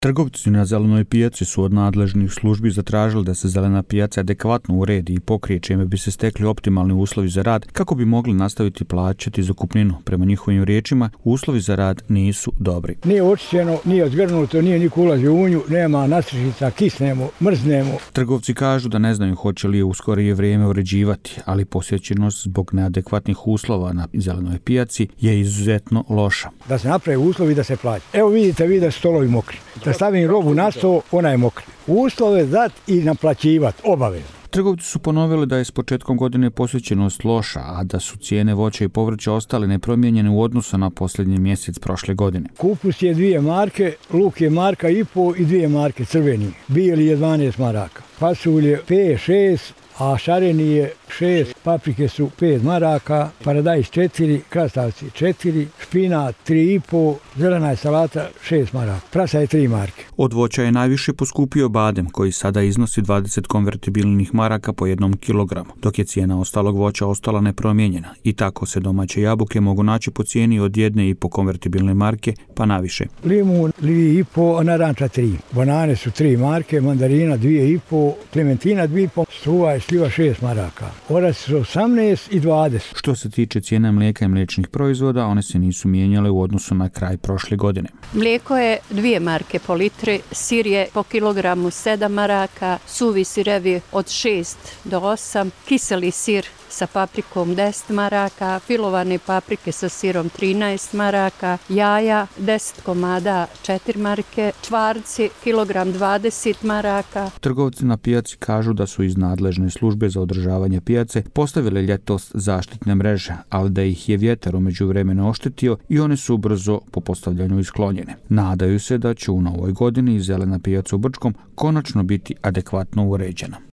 Trgovci na zelenoj pijaci su od nadležnih službi zatražili da se zelena pijaca adekvatno uredi i pokrije, čime bi se stekli optimalni uslovi za rad kako bi mogli nastaviti plaćati zakupninu. Prema njihovim riječima, uslovi za rad nisu dobri. Nije očišćeno, nije zgrnuto, nije niko ulazio u nju, nema nastržica, kisnemo, mrznemo. Trgovci kažu da ne znaju hoće li je u skorije vrijeme uređivati, ali posjećenost zbog neadekvatnih uslova na zelenoj pijaci je izuzetno loša. Da se naprave uslovi da se plaća. Evo vidite vi da su stolovi mokri. Da stavim robu na sto, ona je mokra. Uslove dat i naplaćivati, obavezno. Trgovci su ponovili da je s početkom godine posjećenost loša, a da su cijene voća i povrća ostale nepromijenjene u odnosu na posljednji mjesec prošle godine. Kupus je 2 marke, luk je 1,5 marka i 2 marke crveni. Bijeli je 12 maraka. Pasulje 5, 6, a šareni je 6, paprike su 5 maraka, paradajz 4, krastavci 4, špinat 3,5, zelena je salata 6 maraka, prasa je 3 marke. Od voća je najviše poskupio badem, koji sada iznosi 20 konvertibilnih maraka po 1 kilogramu, dok je cijena ostalog voća ostala nepromijenjena. I tako se domaće jabuke mogu naći po cijeni od 1,5 konvertibilne marke pa naviše. Limun 2,5, a naranča 3. Banane su 3 marke, mandarina 2,5, klementina 2,5, struva je sliva 6 maraka. Orac su 18 i 20. Što se tiče cijena mlijeka i mliječnih proizvoda, one se nisu mijenjale u odnosu na kraj prošle godine. Mlijeko je 2 marke po litri, sir je po kilogramu 7 maraka, suvi sirevi od 6 do 8, kiseli sir sa paprikom 10 maraka, filovane paprike sa sirom 13 maraka, jaja 10 komada 4 marke, čvarci kilogram 20 maraka. Trgovci na pijaci kažu da su iz nadležne službe za održavanje pijace postavile ljetos zaštitne mreže, ali da ih je vjetar u međuvremenu oštetio i one su brzo po postavljanju isklonjene. Nadaju se da će u novoj godini zelena pijaca u Brčkom konačno biti adekvatno uređena.